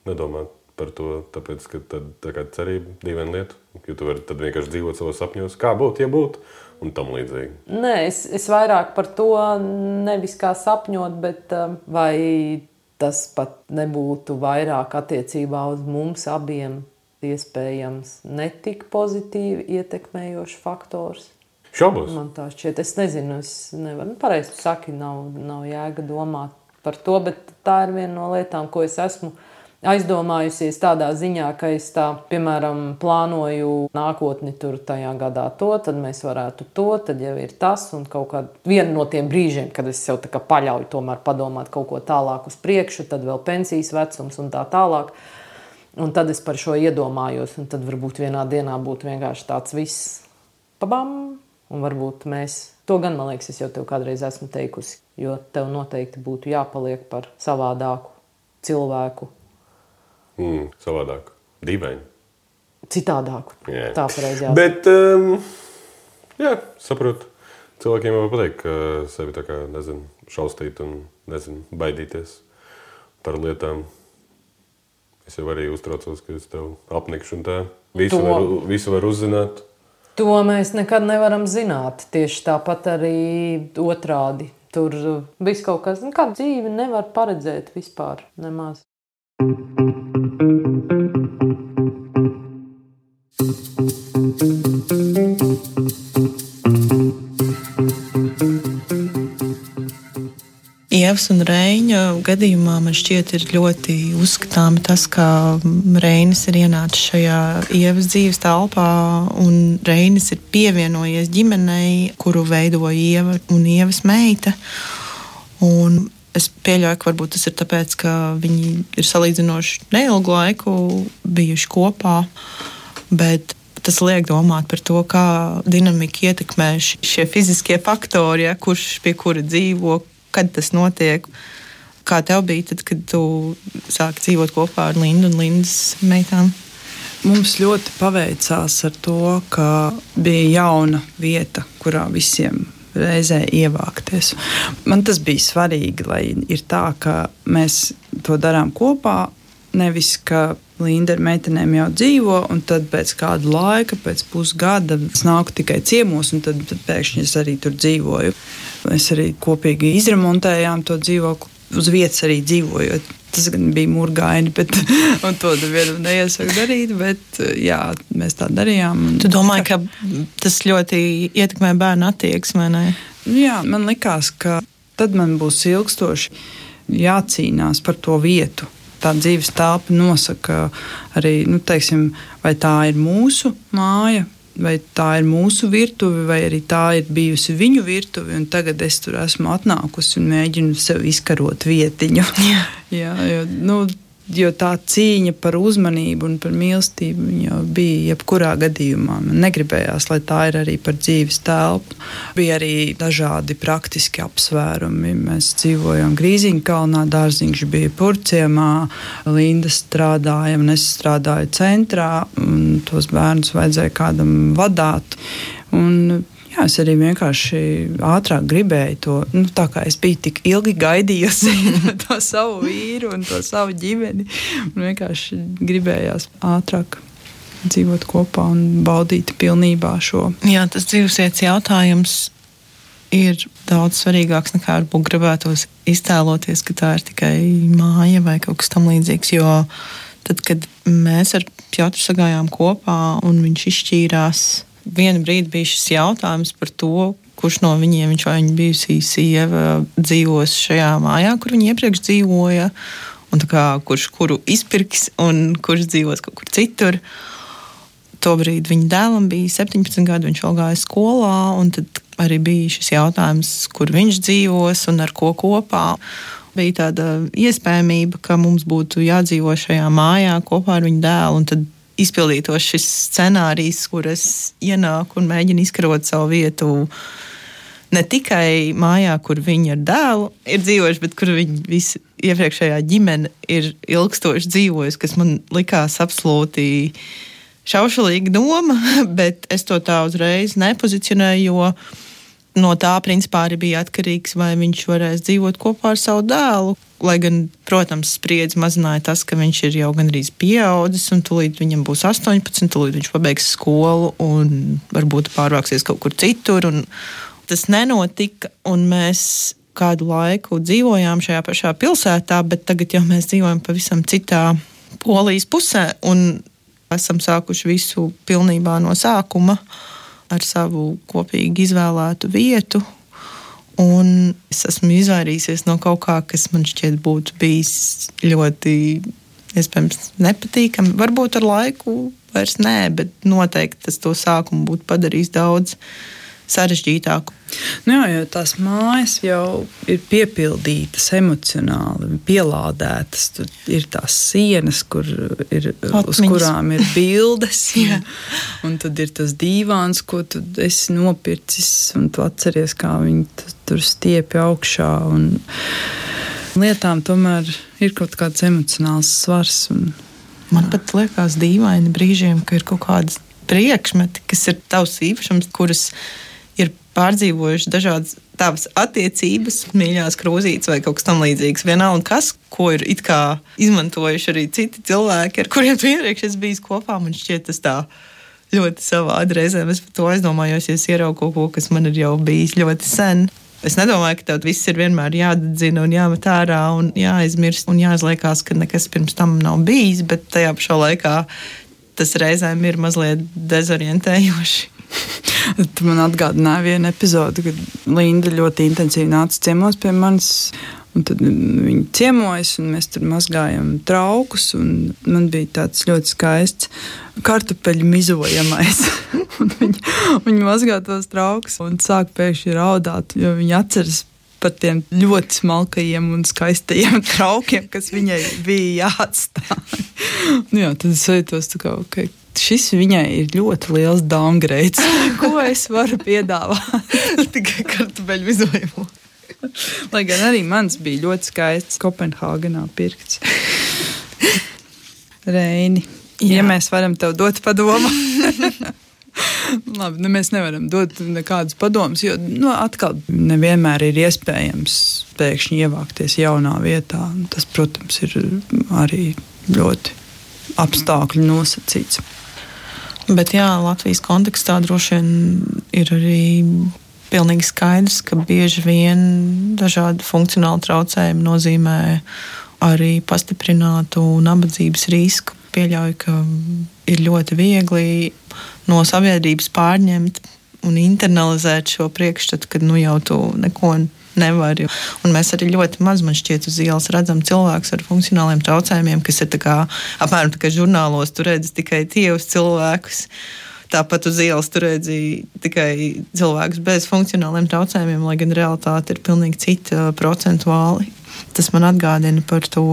nedomāt par to, tāpēc, ka tad tā kā cerība dīvaina lieta, jo tu vari tad vienkārši dzīvot savos sapņos, kā būtu, ja būtu, un tam līdzīgi. Nē, es vairāk par to nevis kā sapņot, bet vai tas pat nebūtu vairāk attiecībā uz mums abiem iespējams netik pozitīvi ietekmējošs faktors. Šaubos. Man tā šķiet, es nezinu, es nevaru, pareizi saki, nav jēga domāt par to, bet tā ir viena no lietām, ko es esmu aizdomājusies tādā ziņā, ka es tā, piemēram, plānoju nākotni tur tajā gadā to, tad mēs varētu to, tad jau ir tas un kaut kādā viena no tiem brīžiem, kad es sev tā kā paļauju tomēr padomāt kaut ko tālāk uz priekšu, tad vēl pensijas vecums un tā tālāk. Un tad es par šo iedomājos, un tad varbūt vienā dienā būtu vienkārši tāds viss pabam, un varbūt mēs, to gan, man liekas, es jau tev kādreiz esmu teikusi, jo tev noteikti būtu jāpaliek par savādāku cilvēku. Savādāk. Dīvaini. Citādāku. Jā. Tā pareizi jāsaka. Bet, jā, saprotu. Cilvēkiem jau pateikt, ka sevi tā kā, nezinu, šaustīt un, nezinu, baidīties par lietām. Es jau arī uztraucos, ka es tev apnikšu un tā. Visu var uzzināt. To mēs nekad nevaram zināt. Tieši tāpat arī otrādi. Tur viss kaut kas, kāda dzīve nevar paredzēt vispār nemaz. Ievas un Reiņa gadījumā man šķiet ir ļoti uzskatāmi tas, ka Reinis ir ienācis šajā Ievas dzīves telpā un Reinis ir pievienojies ģimenei, kuru veido Ieva un Ievas meita. Un es pieļauju, ka varbūt tas ir tāpēc, ka viņi ir salīdzinoši neilgu laiku bijuši kopā, bet tas liek domāt par to, kā dinamika ietekmē šie fiziskie faktori, ja, kurš pie kura dzīvo, kad tas notiek. Kā tev bija tad, kad tu sāki dzīvot kopā ar Lindu un Lindas meitām? Mums ļoti paveicās ar to, ka bija jauna vieta, kurā visiem reizē ievākties. Man tas bija svarīgi, lai ir tā, ka mēs to darām kopā, nevis, ka Linda ar meitenēm jau dzīvo, un tad pēc kāda laika, pēc pusgada es nāku tikai ciemos, un tad pēkšņi es arī tur dzīvoju. Mēs arī kopīgi izremontējām to dzīvokli, uz vietas arī dzīvojot. Tas gan bija murgaini, un to nevienam neiesaku darīt, bet jā, mēs tā darījām. Tu domāji, ka tas ļoti ietekmē bērnu attieksmi, vai ne? Jā, man likās, ka tad man būs ilgstoši jācīnās par to vietu. Tā dzīves telpa nosaka arī, teiksim, vai tā ir mūsu māja, vai tā ir mūsu virtuve, vai arī tā ir bijusi viņu virtuve, un tagad es tur esmu atnākusi un mēģinu sev izkarot vietiņu. Jā, jo tā cīņa par uzmanību un par mīlestību jau bija jebkurā gadījumā. Man negribējās, lai tā ir arī par dzīves telpu. Bija arī dažādi praktiski apsvērumi. Mēs dzīvojām Grīziņkalnā, Dārziņš bija Purciemā, Linda strādāja un es strādāju centrā, un tos bērnus vajadzēja kādam vadāt. Un jā, es arī vienkārši ātrāk gribēju to, tā kā es biju tik ilgi gaidījusi to savu vīru un to savu ģimeni. Un vienkārši gribējās ātrāk dzīvot kopā un baudīt pilnībā šo. Jā, tas dzīvesvietas jautājums ir daudz svarīgāks nekā varbūt gribētos iztēloties, ka tā ir tikai māja vai kaut kas tam līdzīgs, jo tad, kad mēs ar Pjotru sagājām kopā un viņš izšķīrās, vienu brīdi bija šis jautājums par to, kurš no viņiem, viņš vai viņa bijusī sieva, dzīvos šajā mājā, kur viņa iepriekš dzīvoja, un tā kā kurš kuru izpirks un kurš dzīvos kaut kur citur. Tobrīd viņa dēlam bija 17 gadi, viņš vēl gāja skolā, un tad arī bija šis jautājums, kur viņš dzīvos un ar ko kopā. Bija tāda iespējamība, ka mums būtu jādzīvo šajā mājā kopā ar viņu dēlu, un tad izpildītos šis scenārijs, kur es ienāku un mēģinu izkarot savu vietu ne tikai mājā, kur viņi ar dēlu ir dzīvojuši, bet kur viņi visi iepriekšējā ģimene ir ilgstoši dzīvojusi, kas man likās absolūti šaušalīga doma, bet es to tā uzreiz nepozicionēju, jo no tā principā arī bija atkarīgs, vai viņš varēs dzīvot kopā ar savu dēlu. Lai gan, protams, spriedzi mazināja tas, ka viņš ir jau gandrīz pieaudzis, un tūlīt viņam būs 18, tūlīt viņš pabeigs skolu un varbūt pārvāksies kaut kur citur. Un tas nenotika, un mēs kādu laiku dzīvojām šajā pašā pilsētā, bet tagad jau mēs dzīvojam pavisam citā Polijas pusē, un esam sākuši visu pilnībā no sākuma ar savu kopīgi izvēlētu vietu. Un es esmu izvairījusies no kaut kā, kas man šķiet būtu bijis ļoti, iespējams, nepatīkami. Varbūt ar laiku vairs nē, bet noteikti tas to sākumu būtu padarījis daudz sarežģītāku. Jā, jo tās mājas jau ir piepildītas emocionāli, pielādētas. Tur ir tās sienas, uz kurām ir bildes. Un tad ir tas dīvāns, ko tu esi nopircis, un tu atceries, kā viņi tur stiepja augšā. Un lietām tomēr ir kaut kāds emocionāls svars. Man pat liekas dīvaini brīžiem, ka ir kaut kādas priekšmeti, kas ir tavs īpašums, kuras ir pārdzīvojuši dažādas tavas attiecības, mīļās krūzītes vai kaut kas tam līdzīgs. Vienalga kas, ko ir it kā izmantojuši arī citi cilvēki, ar kuriem tu iepriekš esi bijis kopā. Man šķiet tas tā ļoti savādi reizēm. Es par to aizdomājos, ja es ieraugu kaut ko, kas man ir jau bijis ļoti sen. Es nedomāju, ka tev viss ir vienmēr jādedzina un jāmet ārā un jāaizmirst un jāizliekās, ka nekas pirms tam nav bijis, bet tajā pašā laikā tas reizēm ir mazliet dezorientējoši. Tu man atgādināji vienu epizodi, kad Linda ļoti intensīvi nāca ciemos pie manis, un tad viņi ciemojas, un mēs tur mazgājam traukus, un man bija tāds ļoti skaists kartupeļu mizojamais. Un viņi mazgā tos traukus un sāk pēkšņi raudāt, jo viņi atceras par tiem ļoti smalkajiem un skaistajiem traukiem, kas viņai bija jāatstāj. Jā, tad es jūtos tā kā, okay, šis viņai ir ļoti liels downgrades. Ko es varu piedāvāt? Tikai kartupeļu mizojumu. Lai gan arī mans bija ļoti skaists Kopenhāgenā pirkts. Reini, ja mēs varam tev dot padomu. Labi, mēs nevaram dot nekādus padomus, jo atkal nevienmēr ir iespējams pēkšņi ievākties jaunā vietā. Tas, protams, ir arī ļoti apstākļu nosacīts. Bet jā, Latvijas kontekstā droši vien ir arī pilnīgi skaidrs, ka bieži vien dažādi funkcionāli traucējumi nozīmē arī pastiprinātu nabadzības risku. Pieļauju, ka ir ļoti viegli no sabiedrības pārņemt un internalizēt šo priekšstatu, ka jau tu neko nevari. Un mēs arī ļoti maz, man šķiet, uz ielas redzam cilvēkus ar funkcionāliem traucējumiem, kas ir apmēram tā kā žurnālos tu redzi tikai tievus cilvēkus. Tāpat uz ielas tu redzi tikai cilvēkus bez funkcionāliem traucējumiem, lai gan realitāte ir pilnīgi cita procentuāli. Tas man atgādina par to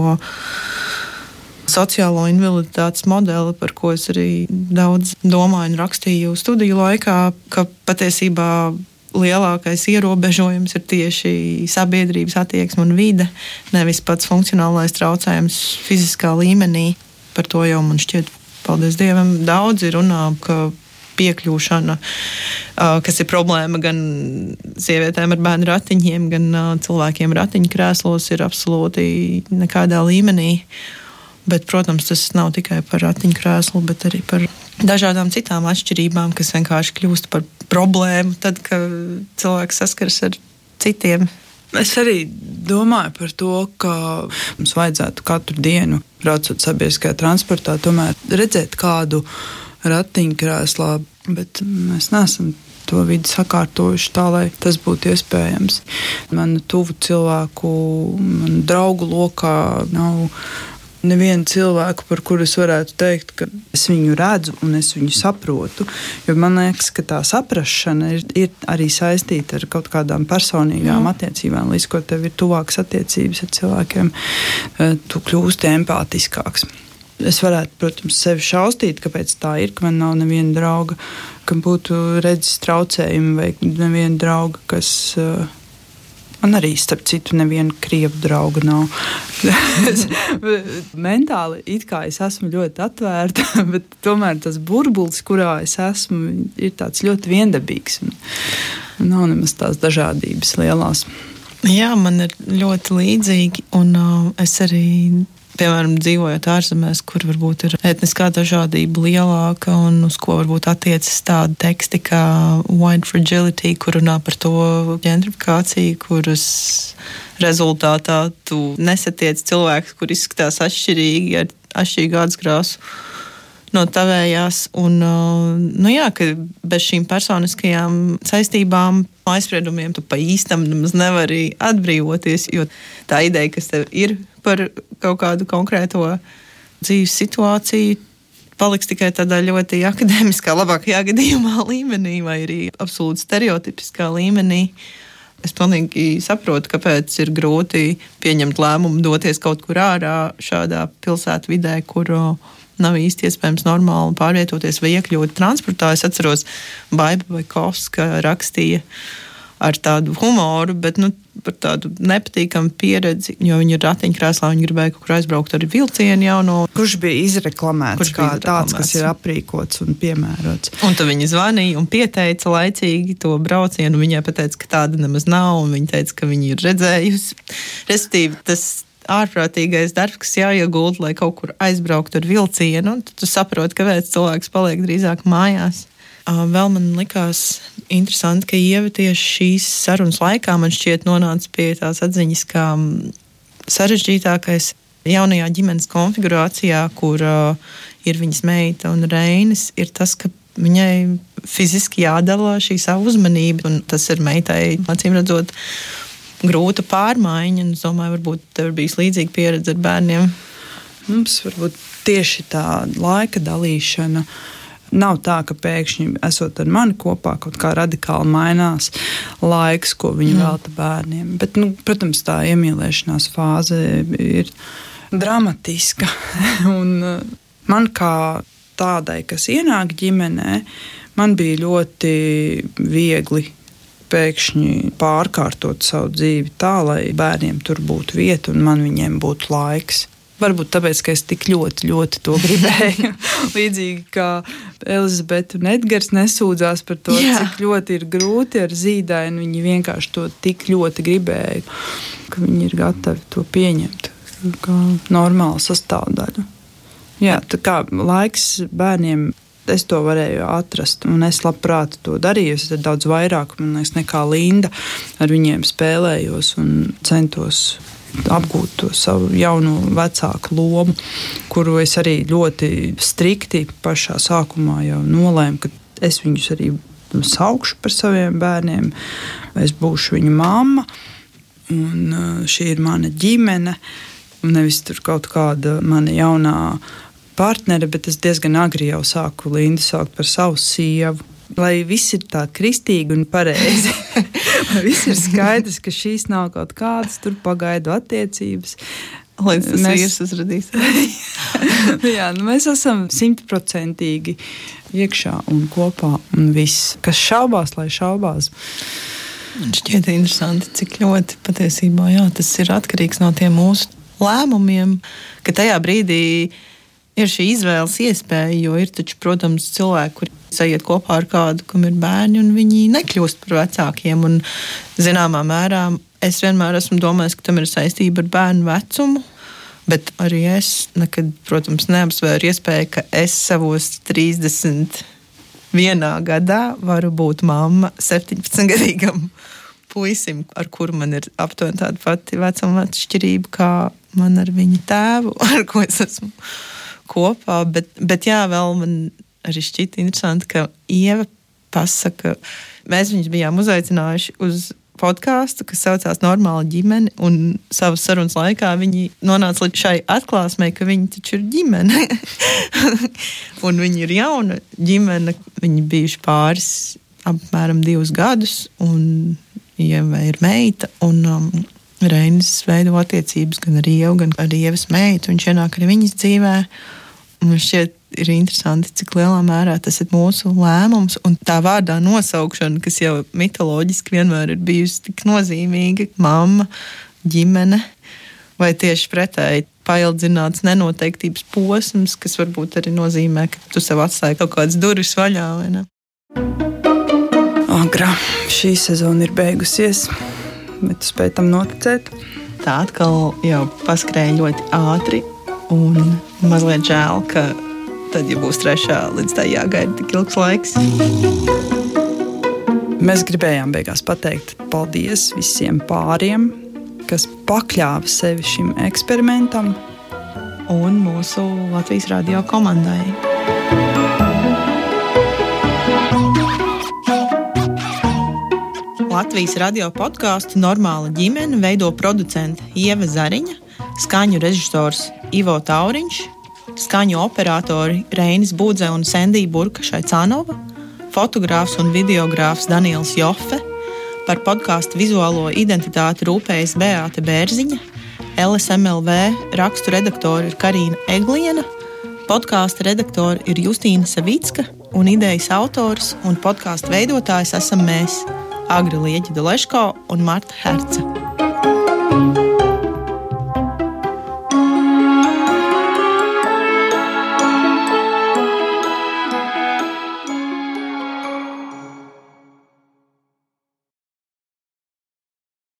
sociālo invaliditātes modeli, par ko es arī daudz domāju un rakstīju studiju laikā, ka patiesībā lielākais ierobežojums ir tieši sabiedrības attieksme un vide, nevis pats funkcionālais traucējums fiziskā līmenī. Par to jau man šķiet, paldies Dievam, daudzi runā, ka piekļūšana, kas ir problēma gan sievietēm ar bērnu ratiņiem, gan cilvēkiem ratiņkrēslos, ir absolūti nekādā līmenī. Bet, protams, tas nav tikai par ratiņkrēslu, bet arī par dažādām citām atšķirībām, kas vienkārši kļūst par problēmu tad, kad cilvēks saskaras ar citiem. Es arī domāju par to, ka mums vajadzētu katru dienu, braucot sabiedriskajā transportā, tomēr redzēt kādu ratiņkrēslā, bet mēs neesam to vidi sakārtojuši tā, lai tas būtu iespējams. Manu tuvu cilvēku, manu draugu lokā nav nevienu cilvēku, par kuru es varētu teikt, ka es viņu redzu un es viņu saprotu. Jo man liekas, ka tā saprašana ir arī saistīta ar kaut kādām personīgām attiecībām. Līdz ko tev ir tuvākas attiecības ar cilvēkiem, tu kļūsti empātiskāks. Es varētu, protams, sevi šaustīt, kāpēc tā ir, ka man nav neviena drauga, kam būtu redzes traucējumi, vai neviena drauga, kas man arī, starp citu, neviena krievu drauga nav. Mentāli it kā es esmu ļoti atvērta, bet tomēr tas burbulis, kurā es esmu, ir tāds ļoti viendabīgs. Nav nemaz tās dažādības lielās. Jā, man ir ļoti līdzīgi, un es arī, piemēram, dzīvojot ārzemēs, kur varbūt ir etniskā dažādība lielāka un uz ko varbūt attiecas tādi teksti kā white fragility, kur runā par to ģentrifikāciju, kuras rezultātā tu nesatiec cilvēkus, kur izskatās atšķirīgi ar atšķirīgu ādskrāsu no tavējās. Un, jā, ka bez šīm personiskajām saistībām, aizspriedumiem tu pa īstam nemaz nevari atbrīvoties, jo tā ideja, kas tev ir par kaut kādu konkrēto dzīves situāciju, paliks tikai tādā ļoti akadēmiskā, labākajā gadījumā līmenī vai arī absolūti stereotipiskā līmenī. Es pilnīgi saprotu, kāpēc ir grūti pieņemt lēmumu doties kaut kur ārā šādā pilsētvidē, kur nav īsti iespējams normāli pārvietoties vai iekļūt transportā. Es atceros, Baiba Vaikovska rakstīja ar tādu humoru, bet par tādu nepatīkamu pieredzi, jo viņi ir ratiņkrēslā, viņi gribēja kaut kur aizbraukt ar vilcienu jauno. Kurš bija izreklamēts kā tāds, kas ir aprīkots un piemērots. Un tad viņi zvanīja un pieteica laicīgi to braucienu. Viņai pateica, ka tāda nemaz nav, un viņa teica, ka viņi ir redzējusi. Respektīvi, tas ārprātīgais darbs, kas jāiegulda, lai kaut kur aizbrauktu ar vilcienu, un tu saproti, kāpēc cilvēks paliek drīzāk mājās. Vēl man likās interesanti, ka Ieva tieši šīs sarunas laikā man šķiet nonāca pie tās atziņas, ka sarežģītākais jaunajā ģimenes konfigurācijā, kur ir viņas meita un Reinis, ir tas, ka viņai fiziski jādala šī savu uzmanību, un tas ir meitai, acīm redzot, grūta pārmaiņa, un es domāju, varbūt tev ir bijis līdzīga pieredze ar bērniem. Mums varbūt tieši tā laika dalīšana nav tā, ka pēkšņi esot ar mani kopā kaut kā radikāli mainās laiks, ko viņi velta bērniem. Bet, protams, tā iemīlēšanās fāze ir dramatiska. Un man kā tādai, kas ienāk ģimenē, man bija ļoti viegli pēkšņi pārkārtot savu dzīvi tā, lai bērniem tur būtu vieta un man viņiem būtu laiks. Varbūt tāpēc, ka es tik ļoti, ļoti to gribēju. Līdzīgi kā Elizabete un Edgars nesūdzās par to, cik ļoti ir grūti ar zīdaini. Viņi vienkārši to tik ļoti gribēja, ka viņi ir gatavi to pieņemt kā normālu sastāvdaļu. Jā, tā kā laiks bērniem, es to varēju atrast, un es labprāt to darīju. Es daudz vairāk, man liekas, nekā Linda ar viņiem spēlējos un centos apgūt to savu jauno vecāku lomu, kuru es arī ļoti strikti pašā sākumā jau nolēmu, ka es viņus arī saukšu par saviem bērniem, es būšu viņu mamma, un šī ir mana ģimene, nevis tur kaut kāda mana jaunā partnere, bet es diezgan agri jau sāku Lindu saukt par savu sievu. Lai viss ir tā kristīgi un pareizi. Lai viss ir skaidrs, ka šīs nav kaut kādas tur pagaidu attiecības. Līdz tas vīrs uzradīs. Jā, mēs esam 100% iekšā un kopā un viss. Kas šaubās, lai šaubās. Man šķiet interesanti, cik ļoti patiesībā tas ir atkarīgs no tiem mūsu lēmumiem, ka tajā brīdī ir šī izvēles iespēja, jo ir taču, protams, cilvēki, kuri sajiet kopā ar kādu, kam ir bērni, un viņi nekļūst par vecākiem. Un, zināmā mērā, es vienmēr esmu domājis, ka tam ir saistība ar bērnu vecumu, bet arī es nekad, protams, neapsvēru iespēju, ka es savos 31 gadā varu būt mamma 17-gadīgam puisim, ar kuru man ir aptuveni tāda pati vecuma atšķirība, kā man ar viņa tēvu, ar ko es esmu kopā, bet jā, vēl man arī šķita interesanti, ka Ieva pasaka, mēs viņus bijām uzaicinājuši uz podkāstu, kas saucās Normāla ģimene, un savas sarunas laikā viņi nonāca līdz šai atklāsmei, ka viņi taču ir ģimene. Un viņi ir jauna ģimene, viņi bijuši pāris apmēram 2 gadus, un Ieva ir meita, un Reinis veido attiecības gan ar Ievu, gan ar Ievas meitu, viņš ienāk arī viņas dzīvē. Un šķiet ir interesanti, cik lielā mērā tas ir mūsu lēmums, un tā vārdā nosaukšana, kas jau mitoloģiski vienmēr ir bijusi tik nozīmīga, mamma, ģimene, vai tieši pretēji paildzināts nenoteiktības posms, kas varbūt arī nozīmē, ka tu sev atstāji kaut kādas durvis vaļā, vai ne? Agrā, šī sezona ir beigusies, bet tu spēj tam noticēt. Tā atkal jau paskrēja ļoti ātri, un mazliet žēl, ka tad, ja būs 3. līdz tā jāgaida tik ilgs laiks. Mēs gribējām beigās pateikt paldies visiem pāriem, kas pakļāva sevi šim eksperimentam. Un mūsu Latvijas radio komandai. Latvijas radio podkāstu Normāla ģimene veido producente Ieva Zariņa, skaņu režisors Ivo Tauriņš, skaņu operatori Reinis Budze un Sendija Burka-Šaicānova, fotogrāfs un videogrāfs Daniels Joffe, par podkāstu vizuālo identitāti rūpējas Beāte Bērziņa, LSMLV rakstu redaktori ir Karīna Egliena, podkāsta redaktori ir Justīna Savicka un idejas autors un podkāstu veidotājs esam mēs, Agri Lieģida Leško un Marta Herce.